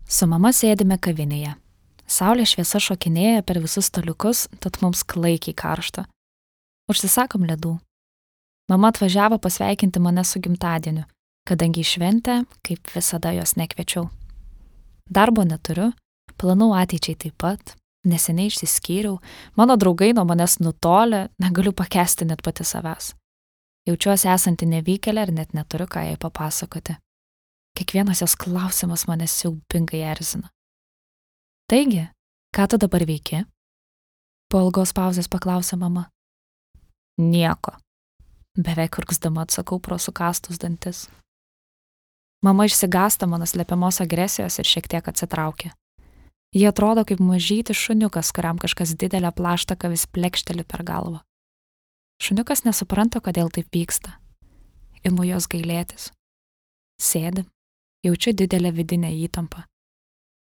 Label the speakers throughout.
Speaker 1: Su mama sėdime kavinėje. Saulės šviesa šokinėja per visus staliukus, tad mums klaikiai karšta. Užsisakom ledų. Mama atvažiavo pasveikinti mane su gimtadieniu, kadangi į šventę, kaip visada, jos nekviečiau. Darbo neturiu, planų ateičiai taip pat, neseniai išsiskyriau, mano draugai nuo manęs nutolę, negaliu pakęsti net pati savęs. Jaučiuosi esanti nevykėlė ir net neturiu ką jai papasakoti. Kiekvienas jos klausimas mane siaubingai erzina. Taigi, ką tu dabar veiki? Po ilgos pauzės paklausė mama. Nieko. Beveik urgzdama atsakau pro sukąstus dantis. Mama išsigąsta mano slepiamos agresijos ir šiek tiek atsitraukia. Ji atrodo kaip mažytis šuniukas, kuriam kažkas didelę plaštaką vis plekšteli per galvą. Šuniukas nesupranta, kodėl taip vyksta. Imu jos gailėtis. Sėdim, jaučiu didelę vidinę įtampą.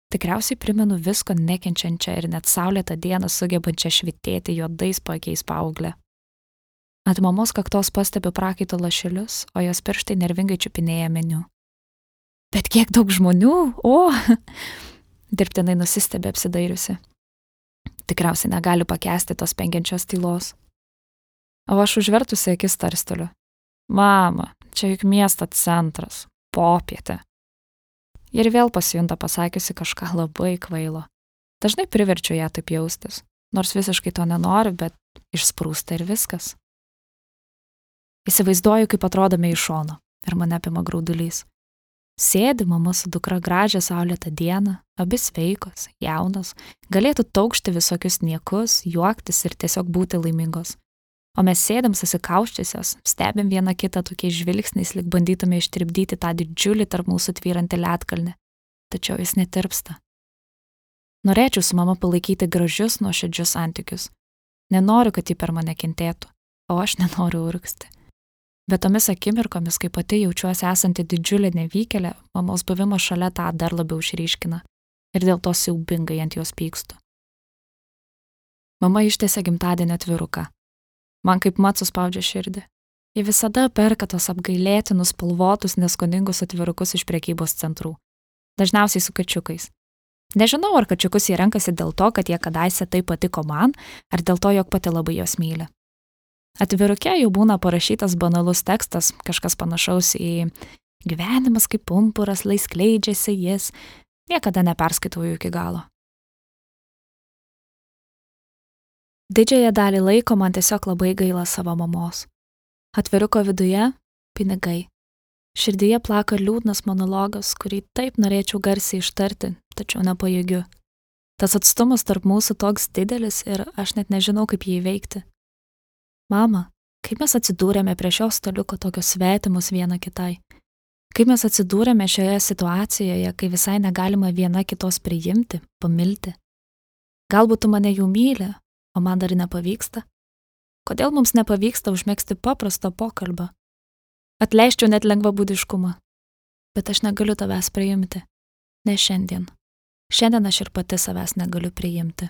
Speaker 1: Tikriausiai primenu visko nekenčiančią ir net saulėtą dieną sugebančią švytėti juodais paakiais paauglę. Ant mamos kaktos pastebiu prakaito lašelius, o jos pirštai nervingai čiupinėja meniu. Bet kiek daug žmonių, dirbtinai nusistebė apsidairiusi. Tikriausiai negali pakęsti tos penkiančios tylos. O aš užvertusi akis tarsteliu. Mama, čia juk miesto centras, popietė. Ir vėl pasijunta pasakiusi kažką labai kvailo. Dažnai priverčiu ją taip jaustis, nors visiškai to nenoriu, bet išsprūsta ir viskas. Įsivaizduoju, kaip atrodome iš šono ir mane apima graudulys. Sėdi mama su dukra gražią saulėtą dieną, abi sveikos, jaunos, galėtų taukšti visokius niekus, juoktis ir tiesiog būti laimingos. O mes sėdam susikauščiusios, stebim vieną kitą tokiais žvilgsniais, lyg bandytume ištirpdyti tą didžiulį tarp mūsų tvyrantį ledkalnį. Tačiau jis netirpsta. Norėčiau su mama palaikyti gražius, nuoširdžius santykius. Nenoriu, kad ji per mane kentėtų, o aš nenoriu urgzti. Bet tomis akimirkomis, kai pati jaučiuosi esanti didžiulė nevykėlė, mamos buvimas šalia tą dar labiau išryškina. Ir dėl to siaubingai ant jos pykstu. Mama ištiesė gimtadienio atviruką. Man kaip mat suspaudžia širdį. Ji visada perka tos apgailėtinus, spalvotus, neskoningus atvirukus iš prekybos centrų. Dažniausiai su kačiukais. Nežinau, ar kačiukus jie renkasi dėl to, kad jie kadaise taip patiko man, ar dėl to, jog pati labai jos myli. Atviruke jau būna parašytas banalus tekstas, kažkas panašaus į gyvenimas kaip pumpuras, lai skleidžiasi jis. Niekada neperskaitau jų iki galo. Didžiąją dalį laiko man tiesiog labai gaila savo mamos. Atviruko viduje – pinigai. Širdyje plaka liūdnas monologas, kurį taip norėčiau garsiai ištarti, tačiau nepajėgiu. Tas atstumas tarp mūsų toks didelis ir aš net nežinau, kaip jį įveikti. Mama, kaip mes atsidūrėme prie šio staliuko tokios svetimus viena kitai? Kaip mes atsidūrėme šioje situacijoje, kai visai negalima viena kitos priimti, pamilti? Galbūt tu mane jau myli, o man dar nepavyksta? Kodėl mums nepavyksta užmegzti paprasto pokalbio? Atleisčiau net lengvabūdiškumą, bet aš negaliu tavęs priimti. Ne šiandien. Šiandien aš ir pati savęs negaliu priimti.